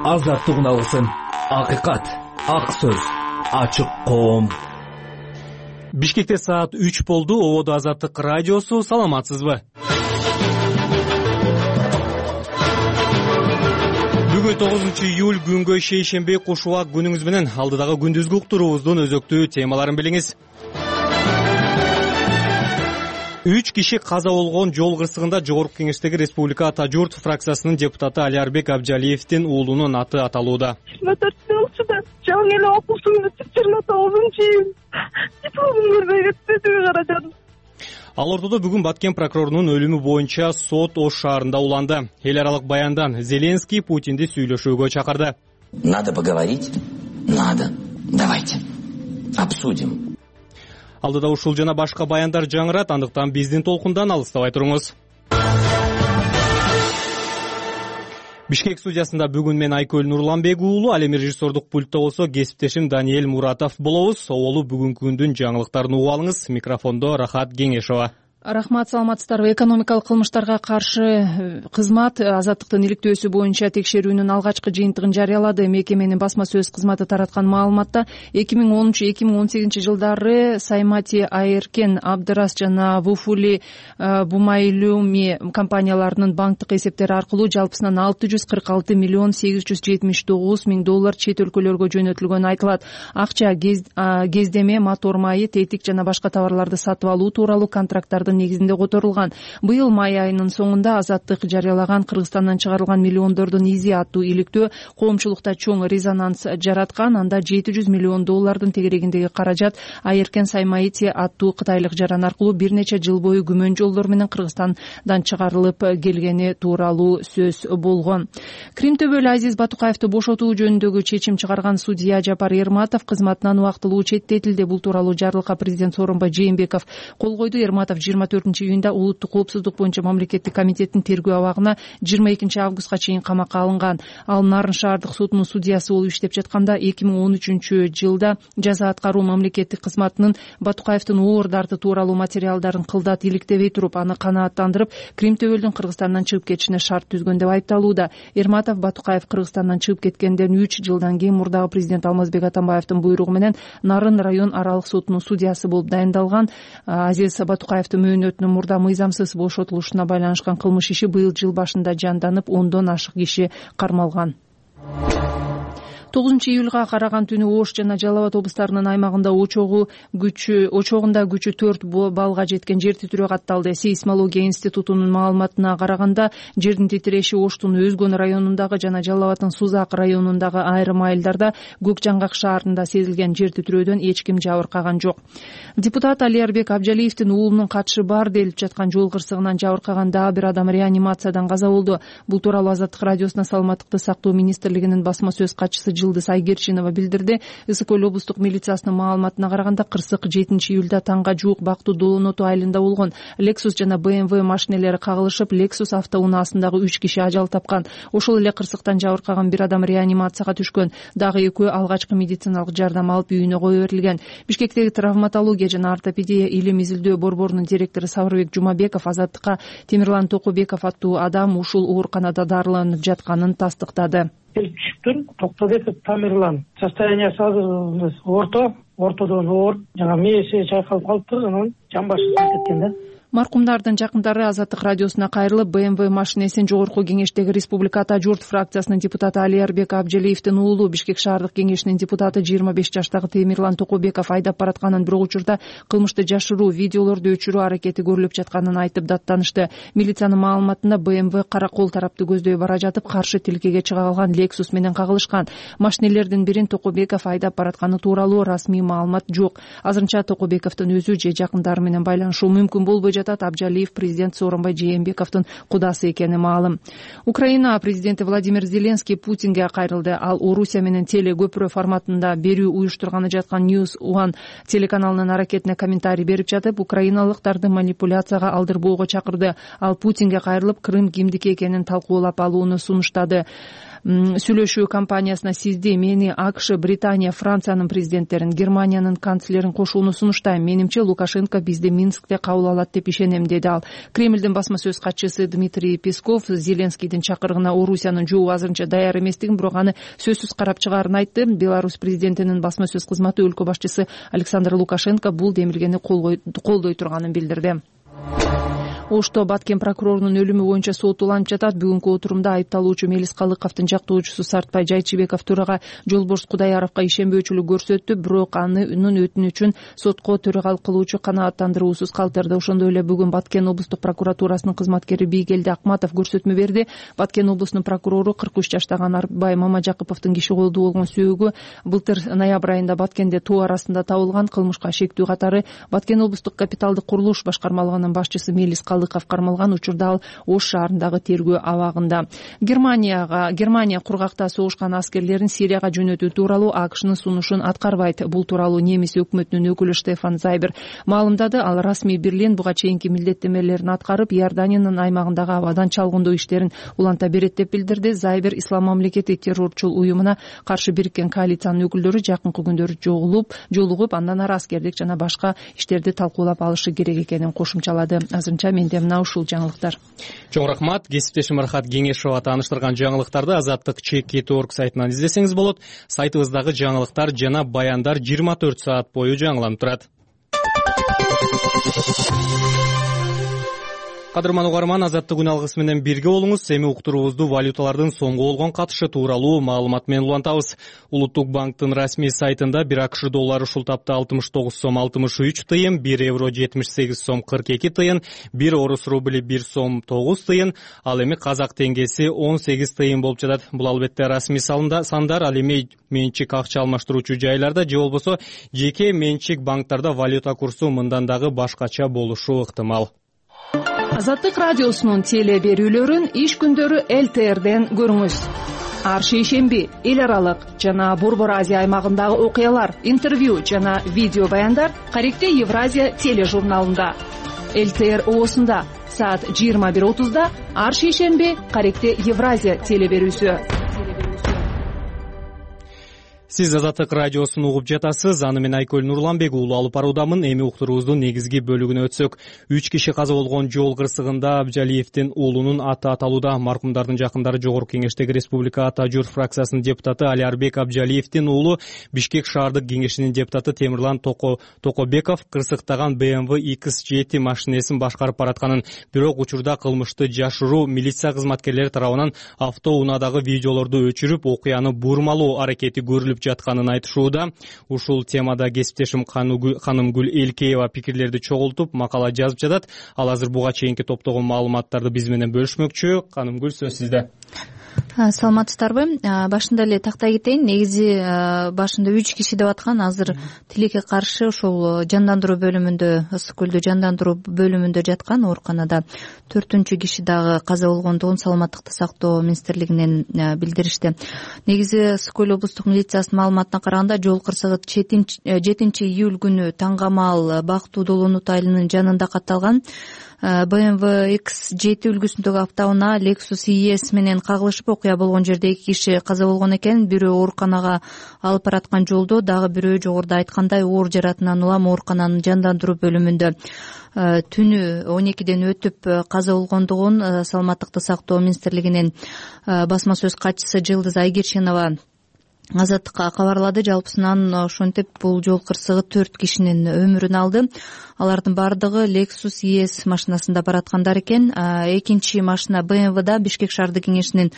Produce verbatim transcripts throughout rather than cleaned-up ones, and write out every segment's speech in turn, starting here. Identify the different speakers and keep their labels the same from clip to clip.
Speaker 1: Азаттык алсын. Акыйкат, ак сөз, ачык коом.
Speaker 2: Бишкекте саат үч болду. Ободо Азаттык радиосу. Саламатсызбы? Бүгүн тогузунчу июль күнгө шейшемби кушубак күнүңүз менен алдыдагы күндүзгү уктуруубуздун өзөктүү темаларын билиңиз. Үч киши каза болгон жол кырсыгында Жогорку Кеңештеги Республика Ата журт фракциясынын депутаты Алиарбек Абжалиевдин уулунун аты аталууда.
Speaker 3: жыйырма төрт жылчыда жаңы эле окуусун жыйырма тогузунчу июль дипломун көрбөй кетти түгү каражан.
Speaker 2: Ал ортодо бүгүн Баткен прокурорунун өлүмү боюнча сот Ош шаарында уланды. Эл аралык баяндан Зеленский Путинди сүйлөшүүгө чакырды.
Speaker 4: Надо поговорить? Надо. Давайте. Обсудим.
Speaker 2: Алдыда ушул жана башка баяндар жаңырат, андыктан биздин толкундан алыстабай туруңуз. Бишкек студиясында бүгүн мен Айкөл Нурланбек уулу, ал эми режиссердук пультта болсо кесиптешим Даниэль Муратов болобуз. Оболу бүгүнкү күндүн жаңылыктарын угуп алыңыз. Микрофондо Рахат Кеңешова.
Speaker 5: Рахмат, саламатсыздарбы. Экономикалык кылмыштарга каршы кызмат азаттыктын иликтөөсү боюнча текшерүүнүн алгачкы жыйынтыгын жарыялады. Мекеменин басма сөз кызматы тараткан маалыматта эки миң онунчу эки миң он сегизинчи жылдары Саймати Айеркен, Абдырас жана Вуфули Бумайлуми компанияларынын банктык эсептери аркылуу жалпысынан алты жүз кырк алты миллион сегиз жүз жетимиш тогуз миң доллар чет өлкөлөргө жөнөтүлгөнү айтылат. Акча кездеме, мотор майы, тетик жана башка товарларды сатып алуу тууралуу контракттардын негизинде которулган. Быйыл май айынын соңунда Азаттык жарыялаган Кыргызстандан чыгарылган миллиондордун изи аттуу иликтөө коомчулукта чоң резонанс жараткан. Анда жети жүз миллион доллардын тегерегиндеги каражат Айеркен Саймаити аттуу кытайлык жаран аркылуу бир нече жыл бою күмөн жолдор менен Кыргызстандан чыгарылып келгени тууралуу сөз болгон. Крим төбөлү Азиз Батукаевди бошотуу жөнүндөгү чечим чыгарган судья Жапар Эрматов кызматынан убактылуу четтетилди. Бул тууралуу жарлыкка президент Сооронбай Жээнбеков кол койду. Эрматов жыйырма төртүнчү июнда улуттук коопсуздук боюнча мамлекеттик комитеттин тергөө абагына жыйырма экинчи августка чейин камакка алынган. Ал Нарын шаардык сотунун судьясы болуп иштеп жатканда эки миң он үчүнчү жылда жаза аткаруу мамлекеттик кызматынын Батукаевдин оор дарты тууралуу материалдарын кылдат иликтебей туруп, аны канааттандырып, Крим төбөлдүн Кыргызстандан чыгып кетишине шарт түзгөн деп айыпталууда. Эрматов Батукаев Кыргызстандан чыгып кеткенден үч жылдан кийин мурдагы президент Алмазбек Атамбаевдин буйругу менен Нарын район аралык сотунун судьясы болуп дайындалган. Азиз Батукаевдин мөөнөтүнүн мурда мыйзамсыз бошотулушуна байланышкан кылмыш иши быйыл жыл башында жанданып, ондон ашык киши кармалган. тогузунчу июлга караган түнү Ош жана Жалал Абад облустарынын аймагында очогу күчү очогунда күчү төрт баллга жеткен жер титирөө катталды. Сейсмология институтунун маалыматына караганда жердин титиреши Оштун Өзгөн районундагы жана Жалал Абаддын Сузак районундагы айрым айылдарда, Көк Жаңгак шаарында сезилген жер титирөөдөн эч ким жабыркаган жок. Депутат Алиарбек Абжалиевдин уулунун катышы бар делип жаткан жол кырсыгынан жабыркаган дагы бир адам реанимациядан каза болду. Бул тууралуу Азаттык радиосуна саламаттыкты сактоо министрлигинин басма сөз катчысы Жылдыз Айгерчинова билдирди. Ысык көл облустук милициясынын маалыматына караганда кырсык жетинчи июлда таңга жуук Бактуу Долоноту айылында болгон. Lexus жана бэ эм вэ машинелери кагылышып, Lexus автоунаасындагы үч киши ажал тапкан. Ошол эле кырсыктан жабыркаган бир адам реанимацияга түшкөн. Дагы экөө алгачкы медициналык жардам алып үйүнө кое берилген. Бишкектеги травматология жана ортопедия илим изилдөө борборунун директору Сабырбек Жумабеков Азаттыкка Темирлан Токобеков аттуу адам ушул ооруканада дарыланып жатканын тастыктады.
Speaker 6: Келип түшүптүр. Токтобеков Тамерлан. Состояниясы азыр орто, ортодон оор, жана мээси чайкалып калыптыр, анан жан башы кеткен да.
Speaker 5: Маркумдардын жакындары Азаттык радиосуна кайрылып, бэ эм вэ машинесин Жогорку Кеңештеги Республика Ата журт фракциясынын депутаты Алиарбек Абжалиевдин уулу, Бишкек шаардык кеңешинин депутаты жыйырма беш жаштагы Темирлан Токобеков айдап баратканын, бирок учурда кылмышты жашыруу, видеолорду өчүрүү аракети көрүлүп жатканын айтып даттанышты. Милициянын маалыматында бэ эм вэ Каракол тарапты көздөй бара жатып, каршы тилкеге чыга калган Lexus менен кагылышкан. Машинелердин бирин Токобеков айдап баратканы тууралуу расмий маалымат жок. Азырынча Токобековдун өзү же жакындары менен байланышуу мүмкүн болбой жатат. Абжалиев президент Сооронбай Жээнбековдун кудасы экени маалым. Украина президенти Владимир Зеленский Путинге кайрылды. Ал Орусия менен теле көпүрө форматында берүү уюштурганы жаткан News One телеканалынын аракетине комментарий берип жатып, украиналыктарды манипуляцияга алдырбоого чакырды. Ал Путинге кайрылып, Крым кимдики экенин талкуулап алууну сунуштады. сүйлөшүү кампаниясына сизди, мени, АКШ, Британия, Франциянын президенттерин, Германиянын канцлерин кошууну сунуштайм. Менимче Лукашенко бизди Минскте кабыл алат деп ишенем, деди ал. Кремлдин басма сөз катчысы Дмитрий Песков Зеленскийдин чакырыгына Орусиянын жообу азырынча даяр эместигин, бирок аны сөзсүз карап чыгаарын айтты. Беларусь президентинин басма сөз кызматы өлкө башчысы Александр Лукашенко бул демилгени колдой турганын билдирди. Ошто Баткен прокурорунун өлүмү боюнча сот уланып жатат. Бүгүнкү отурумда айыпталуучу Мелис Калыковдун жактоочусу Сартбай Жайчыбеков төрага Жолборс Кудаяровго ишенбөөчүлүк көрсөттү, бирок анын өтүнүчүн сотко төрагалык кылуучу канааттандыруусуз калтырды. Ошондой эле бүгүн Баткен облустук прокуратурасынын кызматкери Бийгелди Акматов көрсөтмө берди. Баткен облусунун прокурору кырк үч жаштагы Арбай Мамажакыповдун киши колдуу болгон сөөгү былтыр ноябрь айында Баткенде тоо арасында табылган. Кылмышка шектүү катары Баткен облустук капиталдык курулуш башкармалыгынын башчысы Мелис Калыков кармалган. Учурда ал Ош шаарындагы тергөө абагында. Германияга Германия кургакта согушкан аскерлерин Сирияга жөнөтүү тууралуу АКШнын сунушун аткарбайт. Бул тууралуу немис өкмөтүнүн өкүлү Штефан Зайбер маалымдады. Ал расмий Берлин буга чейинки милдеттенмелерин аткарып, Иорданиянын аймагындагы абадан чалгындоо иштерин уланта берет деп билдирди. Зайбер ислам мамлекети террорчул уюмуна каршы бириккен коалициянын өкүлдөрү жакынкы күндөрү жолугуп, жолугуп андан ары аскердик жана башка иштерди талкуулап алышы керек экенин кошумчалады. Азырынча менде мына ушул жаңылыктар.
Speaker 2: Чоң рахмат. Кесиптешим Рахат Кеңешова тааныштырган жаңылыктарды Азаттык чек кет точка орг сайтынан издесеңиз болот. Сайтыбыздагы жаңылыктар жана баяндар жыйырма төрт саат бою жаңыланып турат. Кадырман угарман, Азаттык күн алгысы менен бирге болуңуз. Эми уктуруубузду валюталардын соңку болгон катышы тууралуу маалымат менен улантабыз. Улуттук банктын расмий сайтында бир АКШ доллары ушул тапта алтымыш тогуз сом алтымыш үч тыйын, бир евро жетимиш сегиз сом кырк эки тыйын, бир орус рубли бир сом тогуз тыйын, ал эми казак теңгеси он сегиз тыйын болуп жатат. Бул албетте расмий сандар. Ал эми менчик акча алмаштыруучу жайларда же болбосо жеке менчик банктарда валюта курсу мындан дагы башкача болушу ыктымал.
Speaker 5: Азаттык радиосунун теле берүүлөрүн иш күндөрү эл тэ эрден көрүңүз. Ар шейшемби эл аралык жана Борбор Азия аймагындагы окуялар, интервью жана видео баяндар Каректе Евразия тележурналында. эл тэ эр оосунда саат жыйырма бир отузда ар шейшемби Каректе Евразия теле берүүсү.
Speaker 2: Сиз Азаттык радиосун угуп жатасыз. Аны мен Айкөл Нурланбек уулу алып баруудамын. Эми уктуруубуздун негизги бөлүгүнө өтсөк, үч киши каза болгон жол кырсыгында Абжалиевдин уулунун аты аталууда. Маркумдардын жакындары Жогорку Кеңештеги Республика Ата Журт фракциясынын депутаты Алиарбек Абжалиевдин уулу Бишкек шаардык кеңешинин депутаты Темирлан Токобеков кырсыктаган бэ эм вэ икс жети машинесин башкарып баратканын, бирок учурда кылмышты жашыруу милиция кызматкерлери тарабынан автоунаадагы видеолорду өчүрүп, окуяны бурмалоо аракети көрүлүп жатканын айтышууда. Ушул темада кесиптешим Ханымгүл Элкеева пикирлерди чогултуп, макала жазып жатат. Ал азыр буга чейинки топтогон маалыматтарды биз менен бөлүшмөкчү. Ханымгүл, сөз сизде.
Speaker 7: Саламатсыздарбы? Башында эле тактай кетейин. Негизи башында үч киши деп аткан, азыр тилекке каршы ошол жандандыруу бөлүмүндө, ысык көлдө жандандыруу бөлүмүндө жаткан ооруканада төртүнчү киши дагы каза болгондугун Саламаттыкты сактоо министрлигинен билдиришти. Негизи ысык көл облустук милициясынын маалыматына караганда, жол кырсыгы жетинчи июль күнү таңгамал Бактуу Долонут айылынын жанында катталган. бэ эм вэ икс жети үлгүсүндөгү автоунаа Lexus и эс менен кагылышып, окуя болгон жерде эки киши каза болгон экен. Бирөө ооруканага алып бараткан жолдо, дагы бирөө жогоруда айткандай оор жаратынан улам оорукананын жандандыруу бөлүмүндө түнү он экиден өтүп каза болгондугун Саламаттыкты сактоо министрлигинен басма сөз катчысы Жылдыз Айгерчинова Азаттыкка кабарлады. Жалпысынан ошентип бул жол кырсыгы төрт кишинин өмүрүн алды. Алардын бардыгы Lexus и эс машинасында бараткандар экен. Экинчи машина бэ эм вэ да Бишкек шаардык кеңешинин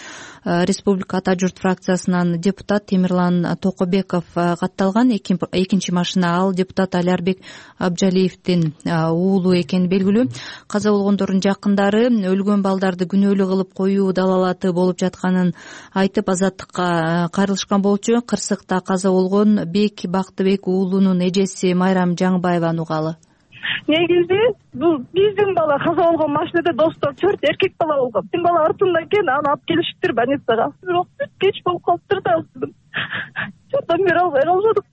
Speaker 7: Республика Ата Журт фракциясынан депутат Темирлан Токобеков катталган. Экинчи машина ал депутат Алиарбек Абжалиевдин уулу экени белгилүү. Каза болгондордун жакындары өлгөн балдарды күнөөлүү кылып коюу далалаты болуп жатканын айтып, Азаттыкка кайрылышкан болчу. Кырсыкта каза болгон Бек Бактыбек уулунун эжеси Майрам Жаңбаеваны угалы.
Speaker 3: Негизи бул биздин бала каза болгон машинада достор төрт эркек бала болгон. Биздин бала артында экен, аны алып келишиптир больницага. Бирок бүт кеч болуп калыптыр да. Жардам бере албай калышадык.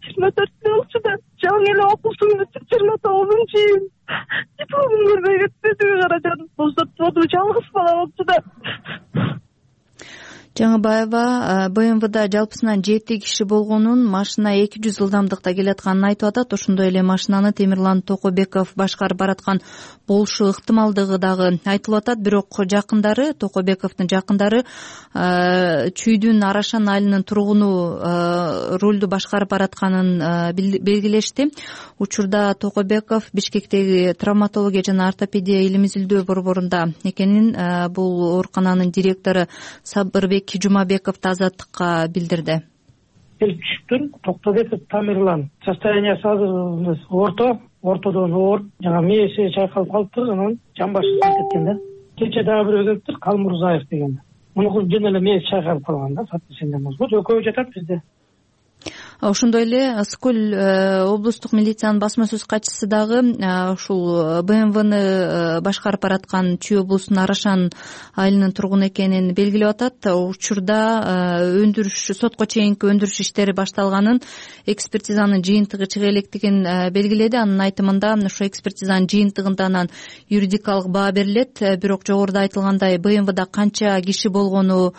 Speaker 3: жыйырма төрттө болчу да жаңы эле окуусун жыйырма тогузунчу июнь дипломун көрбөй кетти. Кара жан бузуп болду, жалгыз бала болчу да.
Speaker 7: Жаңыбаева бэ эм вэ жалпысынан жети киши болгонун, машина эки жүз ылдамдыкта келатканын айтып атат. Ошондой эле машинаны Темирлан Токобеков башкарып бараткан болушу ыктымалдыгы дагы айтылып атат. Бирок жакындары, Токобековдун жакындары Чүйдүн Арашан айылынын тургуну рулду башкарып баратканын белгилешти. Учурда Токобеков Бишкектеги травматология жана ортопедия илим изилдөө борборунда экенин бул оорукананын директору Сабырбек Жумабеков Азаттыкка билдирди.
Speaker 6: Келип түшүптүр. Токтобеков Тамирлан. Состояниясы азыр орто, ортодон оор. Жана мээси чайкалып калыптыр, анан жан башы кеткен да. Кече дагы бирөө келиптир, Калмурзаев деген. Мунун жөн эле мээси чайкалып калган да, сатысында мозгу. Экөө жатат бизде.
Speaker 7: Ошондой эле Скөл облустук милициянын басма сөз катчысы дагы ушул бэ эм вэ башкарып бараткан Чүй облусунун Арашан айылынын тургуну экенин белгилеп атат. Учурда өндүрүш, сотко чейинки өндүрүш иштери башталганын, экспертизанын жыйынтыгы чыга электигин белгиледи. Анын айтымында ошо экспертизанын жыйынтыгынан юридикалык баа берилет. Бирок жогоруда айтылгандай бэ эм вэ канча киши болгону,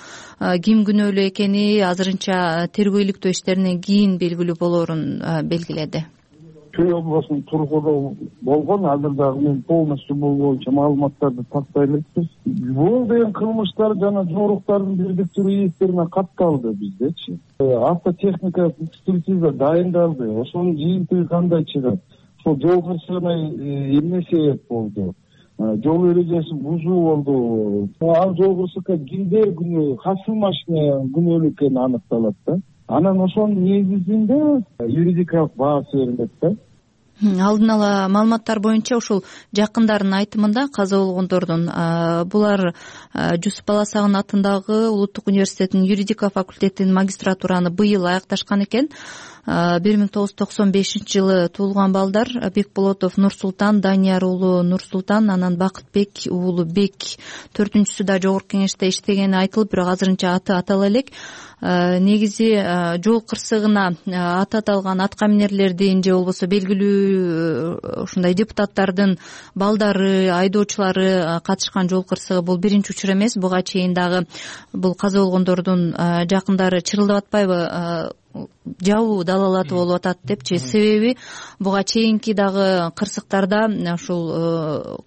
Speaker 7: ким күнөөлүү экени азырынча тергөө иликтөө иштеринен кийин белгилүү болоорун белгиледи.
Speaker 8: Чүй облусунун тургуну болгон, азыр дагы мен полностью бул боюнча маалыматтарды тактай элекпиз. Бул деген кылмыштар жана жоруктардын бирдиктүү иестерине катталды биздечи. Автотехника экспертиза дайындалды. Ошонун жыйынтыгы кандай чыгат? Ошол жол кырсыгына эмне себеп болду? Жол эрежесин бузуу болду. Ал жол кырсыкка кимдер күнөө, кайсы машина күнөөлүү экени аныкталат да. Анан ошонун негизинде юридикалык баасы берилет да.
Speaker 7: Алдын ала маалыматтар боюнча ушул жакындардын айтымында каза болгондордун булар Жусуп Баласагын атындагы Улуттук университетинин юридика факультетинин магистратураны быйыл аякташкан экен. бир миң тогуз жүз токсон бешинчи жылы туулган балдар Бекболотов Нурсултан, Данияр уулу Нурсултан, анан Бакытбек уулу Бек. Төртүнчүсү да жогорку кеңеште иштегени айтылып, бирок азырынча аты атала элек. Негизи жол кырсыгына аты аталган аткаминерлердин же болбосо белгилүү ушундай депутаттардын балдары, айдоочулары катышкан жол кырсыгы бул биринчи учур эмес. Буга чейин дагы бул каза болгондордун жакындары чырылдап атпайбы, жабуу далалаты болуп атат депчи. Себеби буга чейинки дагы кырсыктарда ушул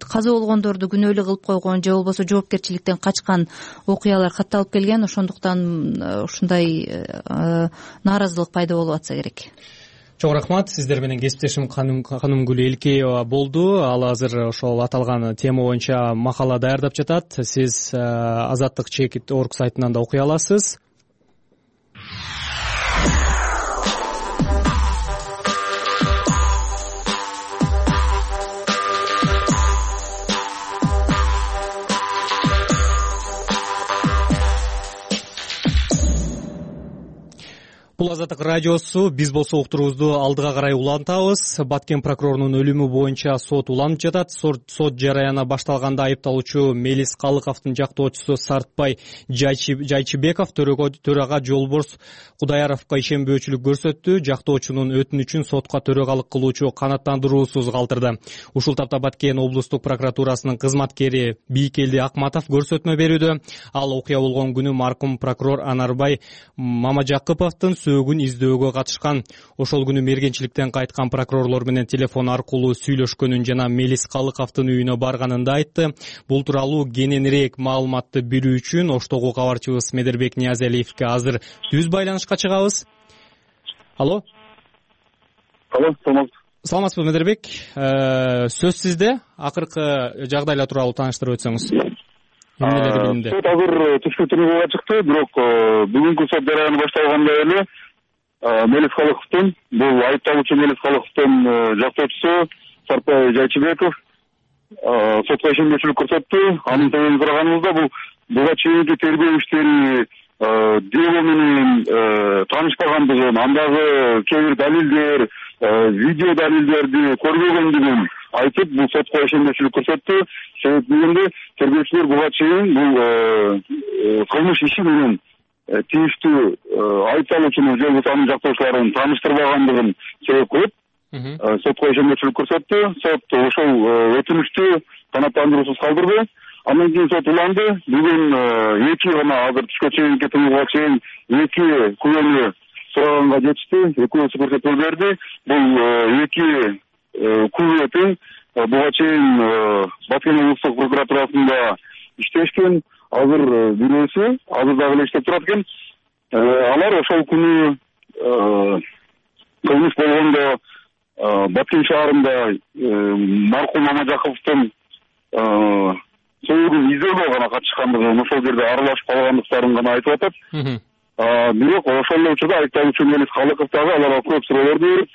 Speaker 7: каза болгондорду күнөөлүү кылып койгон же болбосо жоопкерчиликтен качкан окуялар катталып келген. Ошондуктан ушундай нааразылык пайда болуп атса керек.
Speaker 2: Чоң рахмат. Сиздер менен кесиптешим Канымгүл Элкеева болду. Ал азыр ошол аталган тема боюнча макала даярдап жатат. Сиз Азаттык чекит орг сайтынан да окуй аласыз. Бул Азаттык радиосу. Биз болсо уктуруубузду алдыга карай улантабыз. Баткен прокурорунун өлүмү боюнча сот уланып жатат. Сот жараяны башталганда айыпталуучу Мелис Калыковдун жактоочусу Сартбай Жайчыбеков төрага Жолборс Кудаяровго ишенбөөчүлүк көрсөттү. Жактоочунун өтүнүчүн сотко төрагалык кылуучу канааттандыруусуз калтырды. Ушул тапта Баткен облустук прокуратурасынын кызматкери Бийкелди Акматов көрсөтмө берүүдө. Ал окуя болгон күнү маркум прокурор Анарбай Мамажакыповдун сөөгүн издөөгө катышкан. Ошол күнү мергенчиликтен кайткан прокурорлор менен телефон аркылуу сүйлөшкөнүн жана Мелис Калыковдун үйүнө барганын да айтты. Бул тууралуу кененирээк маалыматты билүү үчүн Оштогу кабарчыбыз Медербек Ниязалиевге азыр түз байланышка чыгабыз. Алло.
Speaker 8: Алло, саламатсызбы?
Speaker 2: Саламатсызбы, Медербек? Сөз сизде. Акыркы жагдайлар тууралуу тааныштырып өтсөңүз.
Speaker 8: Сот азыр түшкү тергөөгө чыкты, бирок бүгүнкү сот жараяны башталганда эле Мелис Калыковдун, бул айыпталуучу Мелис Калыковдун жактоочусу Сартбай Жайчыбеков сотко ишенбөөчүлүк көрсөттү. Анын себебин сураганыбызда бул буга чейинки тергөө иштери дело менен таанышпагандыгын, андагы кээ бир далилдер, видео далилдерди көрбөгөндүгүн айтып, бул сотко ишенбөөчүлүк көрсөттү. Себеп дегенде тергөөчүлөр буга чейин бул кылмыш иши менен тийиштүү айыпталуучунун же болбосо анын жактоочуларын тааныштырбагандыгын себеп кылып сотко ишенбөөчүлүк көрсөттү. Сот ошол өтүнүчтү канааттандыруусуз калтырды. Андан кийин сот уланды. Бүгүн эки гана азыр түшкө чейинки тыйылга чейин эки күбөнү сураганга жетишти. Экөөсү көрсөтмө берди. Бул эки күбө тең буга чейин Баткен облустук прокуратурасында иштешкен. Азыр бирөөсү азыр дагы эле иштеп турат экен. Алар ошол күнү кылмыш болгондо Баткен шаарында маркум Мамажаковдун союгун издөөгө гана катышкандыгын, ошол жерде аралашып калгандыктарын гана айтып атат. Бирок ошол эле учурда айыпталуучу Мелис Калыков дагы аларга көп суроолорду берип,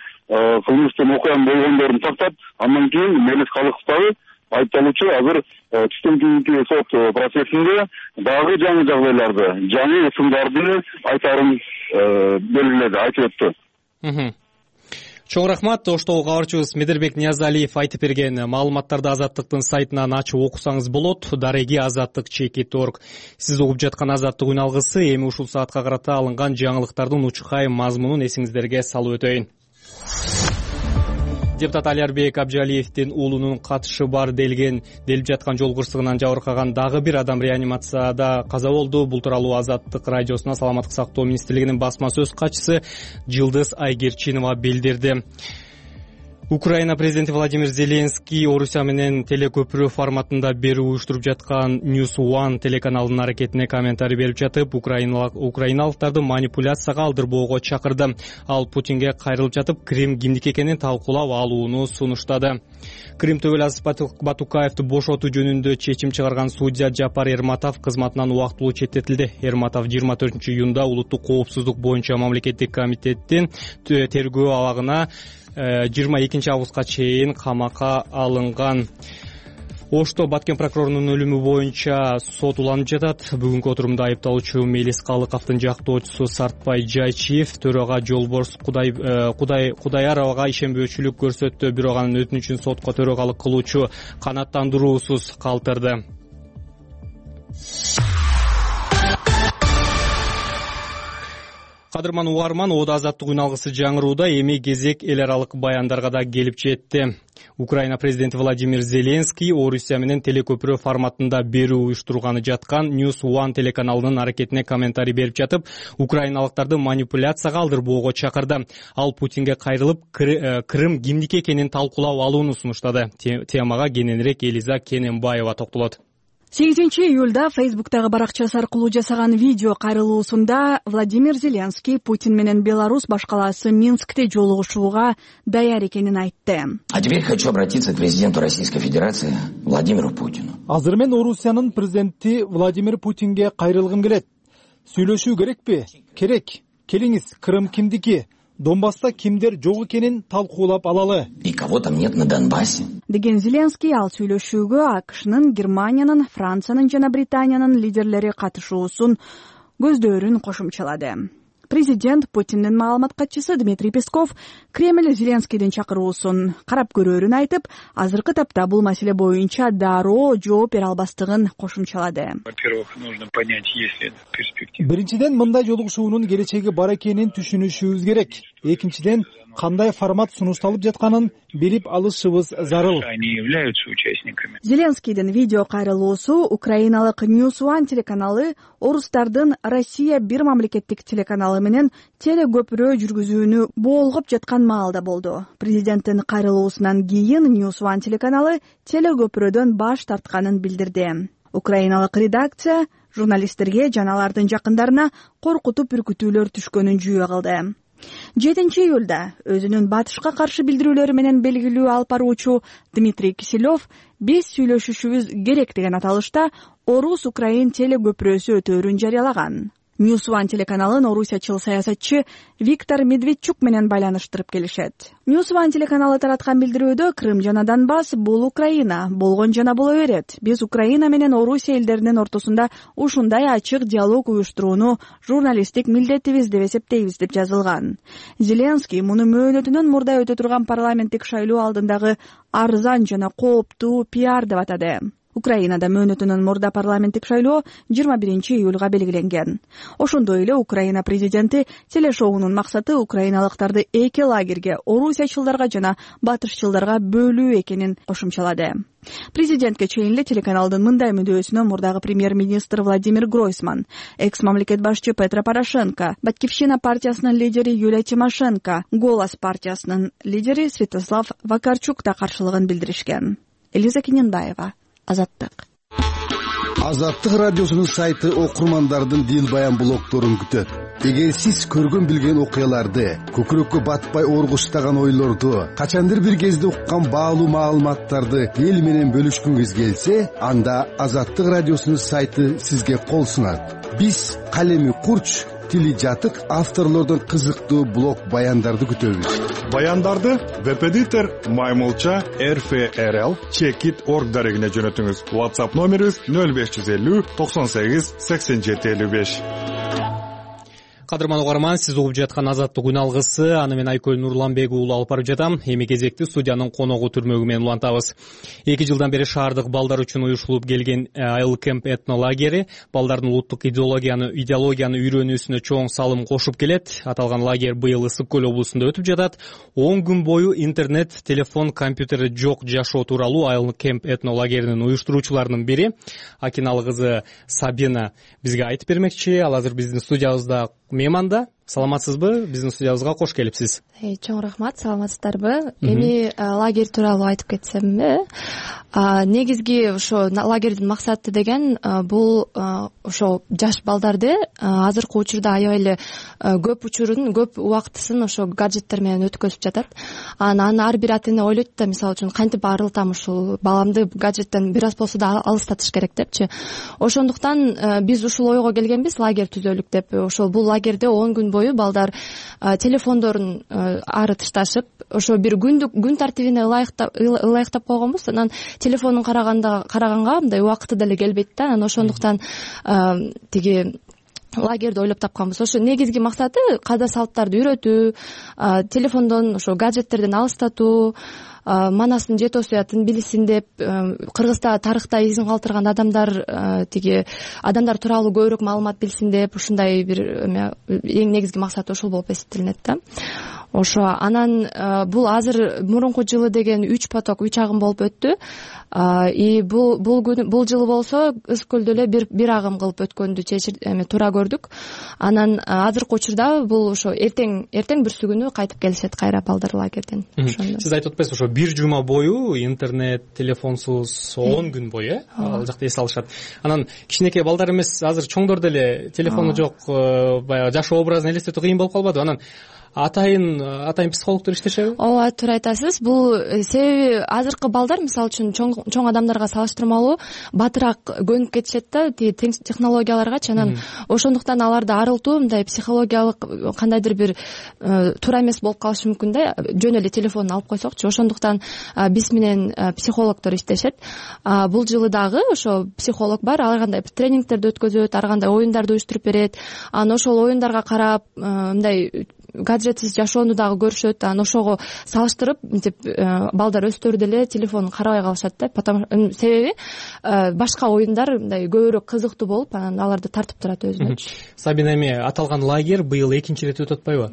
Speaker 8: кылмыштын окуянын болгондорун тактап, андан кийин Мелис Калыков дагы айыпталуучу азыр түштөн кийинки сот процессинде дагы жаңы жагдайларды, жаңы ысымдарды айтарын белгиледи, айтып өттү.
Speaker 2: Чоң рахмат. Оштогу кабарчыбыз Медербек Ниязалиев айтып берген маалыматтарды Азаттыктын сайтынан ачып окусаңыз болот. Дареги азаттык чекит точка орг. Сиз угуп жаткан Азаттык үн алгысы эми ушул саатка карата алынган жаңылыктардын учкай мазмунун эсиңиздерге салып өтөйүн. Депутат Алиарбек Абжалиевдин уулунун катышы бар делген делип жаткан жол кырсыгынан жабыркаган дагы бир адам реанимацияда каза болду. Бул тууралуу Азаттык радиосуна Саламаттык сактоо министрлигинин басма сөз катчысы Жылдыз Айгерчинова билдирди. Украина президенти Владимир Зеленский Орусия менен телекөпүрө форматында берүү уюштуруп жаткан News One телеканалынын аракетине комментарий берип жатып, украиналыктарды манипуляцияга алдырбоого чакырды. Ал Путинге кайрылып жатып, Крим кимдики экенин талкуулап алууну сунуштады. Крим Төбөлаз Батукаевди бошотуу жөнүндө чечим чыгарган судья Жапар Эрматов кызматынан убактылуу четтетилди. Эрматов жыйырма төртүнчү июнда улуттук коопсуздук боюнча мамлекеттик комитеттин тергөө абагына жыйырма экинчи августка чейин камакка алынган. Ошто Баткен прокурорунун өлүмү боюнча сот уланып жатат. Бүгүнкү отурумда айыпталуучу Мелис Калыковдун жактоочусу Сартбай Жайчиев төрага Жолборс Кудай Кудай Кудаяровага ишенбөөчүлүк көрсөттү, бирок анын өтүнүчүн сотко төрагалык кылуучу канааттандыруусуз калтырды. Кадырман угарман, Ода Азаттык үн алгысы жаңырууда эми кезек эл аралык баяндарга да келип жетти. Украина президенти Владимир Зеленский Орусия менен телекөпүрө форматында берүү уюштурганы жаткан News One телеканалынын аракетине комментарий берип жатып, украиналыктарды манипуляцияга алдырбоого чакырды. Ал Путинге кайрылып, Крым кимдики экенин талкуулап алууну сунуштады. Темага кененирээк Элиза Кененбаева токтолот.
Speaker 9: сегизинчи июлда Фейсбуктагы баракчасы аркылуу жасаган видео кайрылуусунда Владимир Зеленский Путин менен Беларусь башкаласы Минскте жолугушууга даяр экенин айтты.
Speaker 4: А теперь хочу обратиться к президенту Российской Федерации Владимиру Путину.
Speaker 10: Азыр мен Орусиянын президенти Владимир Путинге кайрылгым келет. Сүйлөшүү керекпи? Керек. Келиңиз, Крым кимдики? Донбасста кимдер жок экенин талкуулап алалы.
Speaker 4: И кого там нет на Донбассе?
Speaker 9: Деген Зеленский ал сүйлөшүүгө АКШнын, Германиянын, Франциянын жана Британиянын лидерлери катышуусун көздөөрүн кошумчалады. Президент Путиндин маалымат катчысы Дмитрий Песков Кремль Зеленскийдин чакыруусун карап көрөөрүн айтып, азыркы тапта бул маселе боюнча дароо жооп бере албастыгын кошумчалады.
Speaker 11: Во-первых, нужно понять, есть ли перспектива.
Speaker 10: Биринчиден, мындай жолугушуунун келечеги бар экенин түшүнүшүбүз керек. Экинчиден, кандай формат сунушталып жатканын билип алышыбыз зарыл.
Speaker 11: Они являются участниками.
Speaker 9: Зеленскийдин видео кайрылуусу украиналык News One телеканалы орустардын Россия бир мамлекеттик телеканалы менен телекөпүрө жүргүзүүнү болгоп жаткан маалда болду. Президенттин кайрылуусунан кийин News One телеканалы телекөпүрөдөн баш тартканын билдирди. Украиналык редакция журналисттерге жана алардын жакындарына коркутуп үркүтүүлөр түшкөнүн жүйө кылды. жетинчи июлда өзүнүн батышка каршы билдирүүлөрү менен белгилүү алып баруучу Дмитрий Киселев биз сүйлөшүшүбүз керек деген аталышта Орус-Украин телекөпүрөсү өтөөрүн жарыялаган. News One телеканалын орусиячыл саясатчы Виктор Медведчук менен байланыштырып келишет. News One телеканалы тараткан билдирүүдө Крым жана Донбасс бул Украина, болгон жана боло берет. Биз Украина менен Орусия элдеринин ортосунда ушундай ачык диалог уюштурууну журналисттик милдетибиз деп эсептейбиз деп жазылган. Зеленский муну мөөнөтүнөн мурда өтө турган парламенттик шайлоо алдындагы арзан жана кооптуу пиар деп атады. Украинада мөөнөтүнөн мурда парламенттик шайлоо жыйырма биринчи июлга белгиленген. Ошондой эле Украина президенти телешоунун максаты украиналыктарды эки лагерге, орусиячылдарга жана батышчылдарга бөлүү экенин кошумчалады. Президентке чейин эле телеканалдын мындай мүндөсүнө мурдагы премьер-министр Владимир Гройсман, экс-мамлекет башчы Петро Порошенко, Батькивщина партиясынын лидери Юлия Тимошенко, Голос партиясынын лидери Святослав Вакарчук да каршылыгын билдиришкен. Элиза Кененбаева, Азаттык.
Speaker 12: Азаттык радиосунун сайты окурмандардын дил баян блогторун күтөт. Эгер сиз көргөн билген окуяларды, көкүрөккө батпай оргуштаган ойлорду, качандыр бир кезде уккан баалуу маалыматтарды эл менен бөлүшкүңүз келсе, анда Азаттык радиосунун сайты сизге кол сунат. Биз калеми курч, тили жатык авторлордон кызыктуу блог баяндарды күтөбүз.
Speaker 13: Баяндарды веб-эдитор Маймылча эр эф эр эл чекит точка орг дарегине жөнөтүңүз. WhatsApp номерибиз нөл беш жүз элүү токсон сегиз сексен жети элүү беш.
Speaker 2: Кадырман угарман, сиз угуп жаткан Азаттык күн алгысы, аны мен Айкөл Нурланбек уулу алып барып жатам. Эми кезекти студиянын коногу түрмөгү менен улантабыз. эки жылдан бери шаардык балдар үчүн уюштурулуп келген Айыл Кемп этнолагери балдардын улуттук идеологияны идеологияны үйрөнүүсүнө чоң салым кошуп келет. Аталган лагерь быйыл Ысык Көл облусунда өтүп жатат. он күн бою интернет, телефон, компьютери жок жашоо тууралуу Айыл Кемп этнолагеринин уюштуруучуларынын бири Акиналы кызы Сабина бизге айтып бермекчи. Ал азыр биздин студиябызда мейманда. Саламатсызбы? Биздин студиябызга кош келипсиз.
Speaker 14: Чоң рахмат, саламатсыздарбы? Эми лагерь тууралуу айтып кетсемби, негизги ошо лагердин максаты деген бул ошо жаш балдарды азыркы учурда аябай эле көп учурун, көп убактысын ошо гаджеттер менен өткөзүп жатат. Анан ар бир ата эне ойлойт да, мисалы үчүн кантип арылтам ушул баламды гаджеттен бир аз болсо да алыстатыш керек депчи. Ошондуктан биз ушул ойго келгенбиз, лагерь түзөлүк деп. Ошол бул лагерде он күн бою балдар телефондорун ары тышташып, ошо бир күндүк күн тартибине ылайыктап койгонбуз. Анан телефондун караганда караганга мындай убакыты деле келбейт да. Анан ошондуктан тиги лагерди ойлоп тапканбыз. Ошо негизги максаты каада салттарды үйрөтүү, телефондон ошо гаджеттерден алыстатуу, манасын жете осуятын билсин деп, Кыргызда тарыхта изин калтырган адамдар тиги адамдар тууралуу көбүрөөк маалымат билсин деп, ушундай бир эң негизги максаты ошол болуп эсептелинет да. Ошо анан бул азыр мурунку жылы деген үч поток, үч агым болуп өттү. И бул бул күн бул жылы болсо Ысык Көлдө эле бир бир агым кылып өткөндү чечир эме туура көрдүк. Анан азыркы учурда бул ошо эртең эртең бүрсүгүнү кайтып келишет кайра балдар лагерден.
Speaker 2: Сиз айтып атпайсызбы, ошо бир жума бою интернет, телефонсуз он күн бою, э? Ал жакта эс алышат. Анан кичинекей балдар эмес, азыр чоңдор деле телефону жок, баягы жашоо образын элестетүү кыйын болуп калбадыбы? Анан атайын атайын психологдор иштешеби?
Speaker 14: Ооба, туура айтасыз. Бул себеби азыркы балдар мисалы үчүн чоң чоң адамдарга салыштырмалуу батыраак көнүп кетишет да тиги технологияларгачы. Анан ошондуктан аларды арылтуу мындай психологиялык кандайдыр бир туура эмес болуп калышы мүмкүн да, жөн эле телефонун алып койсокчу. Ошондуктан биз менен психологдор иштешет. Бул жылы дагы ошо психолог бар, ар кандай тренингтерди өткөзөт, ар кандай оюндарды уюштуруп берет. Анан ошол оюндарга карап мындай гаджетсиз жашоону дагы көрүшөт. Анан ошого салыштырып мынтип балдар өздөрү деле телефонун карабай калышат да. Потому себеби башка оюндар мындай көбүрөөк кызыктуу болуп, анан аларды тартып турат өзүнө.
Speaker 2: Сабина, эми аталган лагерь быйыл экинчи ирет өтүп атпайбы?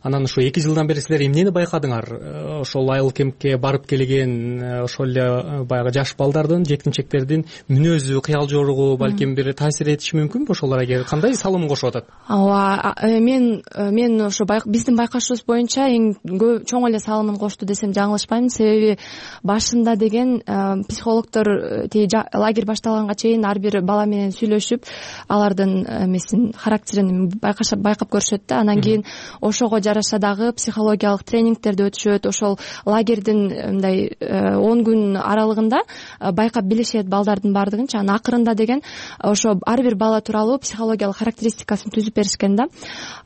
Speaker 2: Анан ошо эки жылдан бери силер эмнени байкадыңар? Ошол Айыл Кемпке барып келген ошол эле баягы жаш балдардын, жеткинчектердин мүнөзү, кыял жоругу балким бир таасир этиши мүмкүнбү? Ошолорго кандай салымын кошуп атат?
Speaker 14: Ооба, мен мен ошо биздин байкашыбыз боюнча эң чоң эле салымын кошту десем жаңылышпайм. Себеби башында деген психологдор тиги лагерь башталганга чейин ар бир бала менен сүйлөшүп, алардын эмесин, характерин байкашап байкап көрүшөт да. Анан кийин ошого жараша дагы психологиялык тренингтерди өтүшөт. Ошол лагердин мындай он күн аралыгында байкап билишет балдардын баардыгынчы. Анан акырында деген ошо ар бир бала тууралуу психологиялык характеристикасын түзүп беришкен да.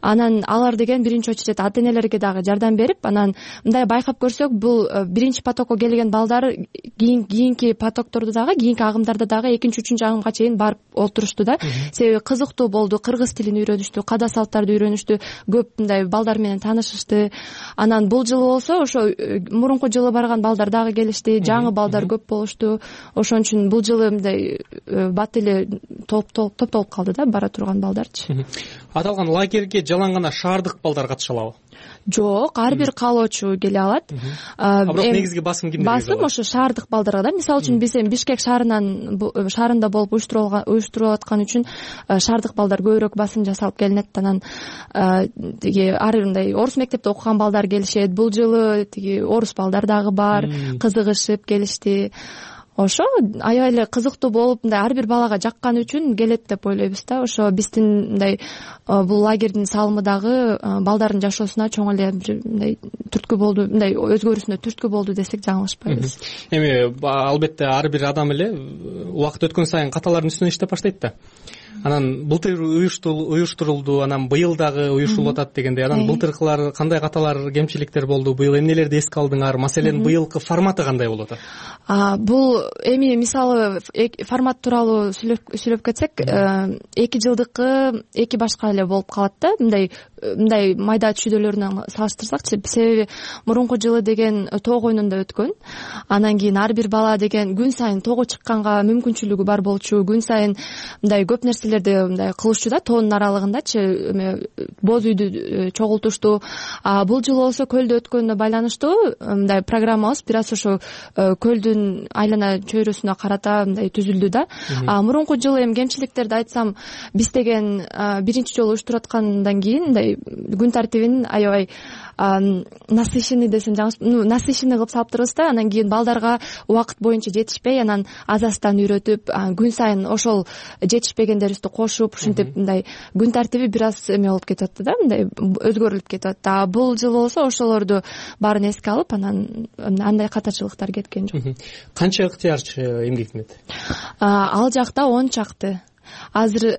Speaker 14: Анан алар деген биринчи очередь ата энелерге дагы жардам берип, анан мындай байкап көрсөк, бул биринчи потокко келген балдар кийинки потокторду дагы, кийинки агымдарда дагы экинчи үчүнчү агымга чейин барып олтурушту да. Себеби кызыктуу болду, кыргыз тилин үйрөнүштү, када салттарды үйрөнүштү, көп мындай балдар менен таанышышты. Анан бул жылы болсо ошо мурунку жылы барган балдар дагы келишти, жаңы балдар көп болушту. Ошон үчүн бул жылы мындай бат эле топтолуп калды да бара турган балдарчы.
Speaker 2: Аталган лагерьге жалаң гана шаардык балдар катыша алабы?
Speaker 14: Жок, ар бир каалоочу келе алат.
Speaker 2: Бирок негизги басым кимдерге?
Speaker 14: Басым ошо шаардык балдарга да. Мисалы үчүн биз эми Бишкек шаарынан шаарында болуп уюштурулуп аткан үчүн шаардык балдар көбүрөөк басым жасалып келинет. Анан тиги ар мындай орус мектепте окуган балдар келишет. Бул жылы тиги орус балдар дагы бар, кызыгышып келишти. Ошо аябай эле кызыктуу болуп, мындай ар бир балага жаккан үчүн келет деп ойлойбуз да. Ошо биздин мындай бул лагердин салымы дагы балдардын жашоосуна чоң эле бир мындай түрткү болду, мындай өзгөрүүсүнө түрткү болду десек жаңылышпайбыз.
Speaker 2: Эми албетте ар бир адам эле убакыт өткөн сайын каталардын үстүнө иштеп баштайт да. Анан былтыр уюштурулду, анан быйыл дагы уюштурулуп атат дегенде, анан былтыркылар кандай каталар, кемчиликтер болду, быйыл эмнелерди эске алдыңар? Маселен, быйылкы форматы кандай болуп атат?
Speaker 14: Бул эми мисалы формат тууралуу сүйлөп кетсек, эки жылдыкы эки башка эле болуп калат да. Мындай мындай майда чүйдөлөрүнөн салыштырсакчы, себеби мурунку жылы деген тоог оюнунда өткөн. Анан кийин ар бир бала деген күн сайын тоого чыкканга мүмкүнчүлүгү бар болчу, күн сайын мындай көп нерселерди мындай кылышчу да, тоонун аралыгындачы эме боз үйдү чогултушту. А бул жылы болсо көлдө өткөнүнө байланыштуу мындай программабыз бир аз ошо көлдүн айлана чөйрөсүнө карата мындай түзүлдү да. А мурунку жылы эми кемчиликтерди айтсам, биз деген биринчи жолу уюштуруп аткандан кийин мындай күн тартибин аябай насыщенный десем жаңылыш, ну насыщенный кылып салыптырбыз да. Анан кийин балдарга убакыт боюнча жетишпей, анан азастан үйрөтүп, күн сайын ошол жетишпегендерибизди кошуп, ушинтип мындай күн тартиби бир аз эме болуп кетип атты да, мындай өзгөрүлүп кетип атты. А бул жыл болсо ошолорду баарын эске алып, анан андай катачылыктар кеткен жок.
Speaker 2: Канча ыктыярчы эмгектенет?
Speaker 14: Ал жакта он чакты. Азыр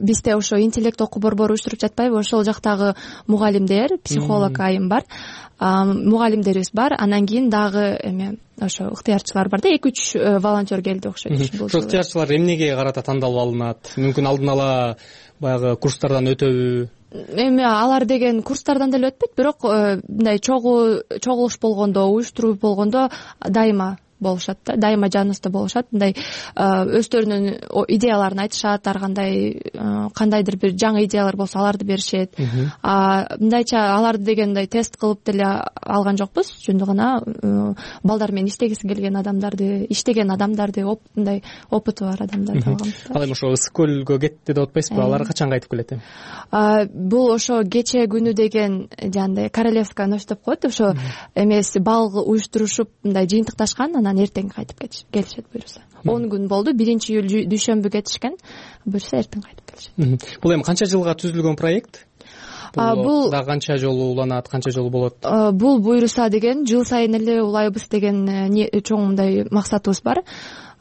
Speaker 14: бизде ошо интеллект окуу борбору уюштуруп жатпайбы? Ошол жактагы мугалимдер, психолог айым бар, мугалимдерибиз бар. Анан кийин дагы эме ошо ыктыярчылар бар да, эки үч волонтер келди окшойт.
Speaker 2: Ошол ыктыярчылар эмнеге карата тандалып алынат? Мүмкүн алдын ала баягы курстардан өтөбү?
Speaker 14: Эми алар деген курстардан деле өтпөйт, бирок мындай чогулуш болгондо, уюштуруу болгондо дайыма болушат да, дайыма жаныбызда болушат. Мындай өздөрүнүн идеяларын айтышат, ар кандай кандайдыр бир жаңы идеялар болсо аларды беришет. Мындайча аларды деген мындай тест кылып деле алган жокпуз, жөнүндө гана балдар менен иштегиси келген адамдарды, иштеген адамдарды, мындай опыты бар адамдарды алганбыз.
Speaker 2: Ал эми ошо ысык көлгө кетти деп атпайсызбы? Алар качан кайтып келет эми?
Speaker 14: Бул ошо кече күнү деген жандай королевская ночь деп коет, ошо эмес бал уюштурушуп мындай жыйынтыкташкан, анан эртең кайтып келишет буюрса. он күн болду, биринчи июль дүйшөмбү кетишкен, буюрса эртең кайтып келишет.
Speaker 2: Бул эми канча жылга түзүлгөн проект? Бул да канча жолу уланат, канча жолу болот?
Speaker 14: Бул буюрса деген жыл сайын эле улайбыз деген чоң мындай максатыбыз бар.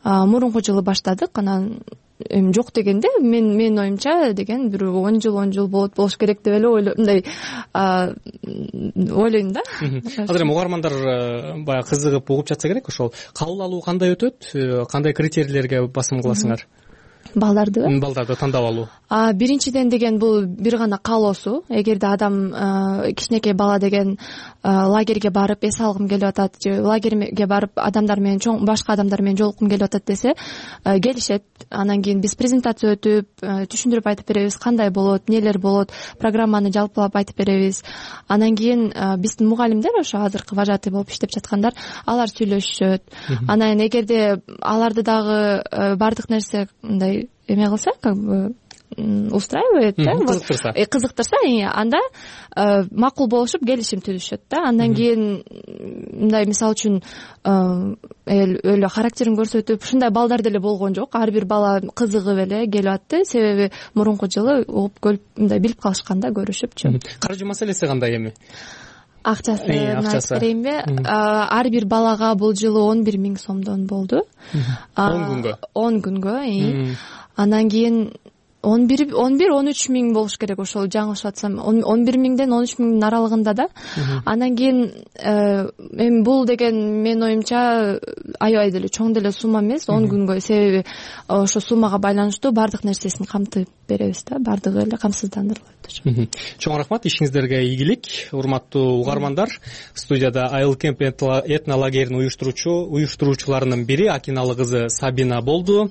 Speaker 14: Мурунку жылы баштадык, анан эми жок дегенде мен менин оюмча деген бир он жыл он жыл болот болуш керек деп эле ойлойм, мындай ойлойм да.
Speaker 2: Азыр эми угармандар баягы кызыгып угуп жатса керек, ошол кабыл алуу кандай өтөт, кандай критерийлерге басым кыласыңар?
Speaker 14: Балдарды
Speaker 2: балдарды тандап алуу?
Speaker 14: Биринчиден деген бул бир гана каалоосу. Эгерде адам кичинекей бала деген лагерге барып эс алгым келип атат, же лагерге барып адамдар менен чоң башка адамдар менен жолуккум келип атат десе, келишет. Анан кийин биз презентация өтүп, түшүндүрүп айтып беребиз, кандай болот, эмнелер болот, программаны жалпылап айтып беребиз. Анан кийин биздин мугалимдер, ошо азыркы вожатый болуп иштеп жаткандар, алар сүйлөшүшөт. Анан эгерде аларды дагы бардык нерсе мындай эме кылса, как бы устраивает, да,
Speaker 2: кызыктырса,
Speaker 14: кызыктырса, анда макул болушуп келишим түзүшөт да. Андан кийин мындай мисалы үчүн өлө характерин көрсөтүп, ушундай балдар деле болгон жок. Ар бир бала кызыгып эле келип атты, себеби мурунку жылы угуп көрүп мындай билип калышканда көрүшүпчү.
Speaker 2: Каржы маселеси кандай эми?
Speaker 14: Акчасы айтып берейинби? Ар бир балага бул жылы он бир миң сомдон болду.
Speaker 2: он күнгө?
Speaker 14: он күнгө. Анан кийин он бир он бир он үч миң болуш керек, ошол жаңылышып атсам он бир миңден он үч миңдин аралыгында да. Анан кийин эми бул деген менин оюмча аябай деле чоң деле сумма эмес, он күнгө, себеби ошо суммага байланыштуу баардык нерсесин камтып беребиз да, баардыгы эле камсыздандырылат.
Speaker 2: Чоң рахмат, ишиңиздерге ийгилик. Урматтуу угармандар, студияда Айыл Кемп этнолагерин уюштуруучу уюштуруучуларынын бири Акиналы кызы Сабина болду.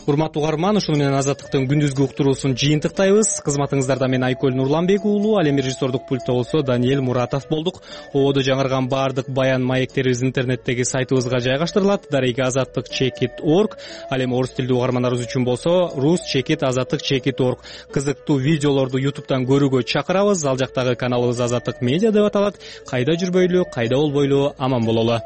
Speaker 2: Урматтуу угарман, ушуну менен Азаттыктын күндүзгү уктуруусун жыйынтыктайбыз. Кызматыңыздарда мен Айкөл Нурланбек уулу, ал эми режиссердук пультта болсо Даниэль Муратов болдук. Ободо жаңырган баардык баян маектерибиз интернеттеги сайтыбызга жайгаштырылат. Дареги азаттык чекит точка орг. Ал эми орус тилдүү угармандарыбыз үчүн болсо рус чекит азаттык чекит точка орг. Кызыктуу видеолорду ютубтан көрүүгө чакырабыз. Ал жактагы каналыбыз Азаттык медиа деп аталат. Кайда жүрбөйлү, кайда болбойлу, аман бололу.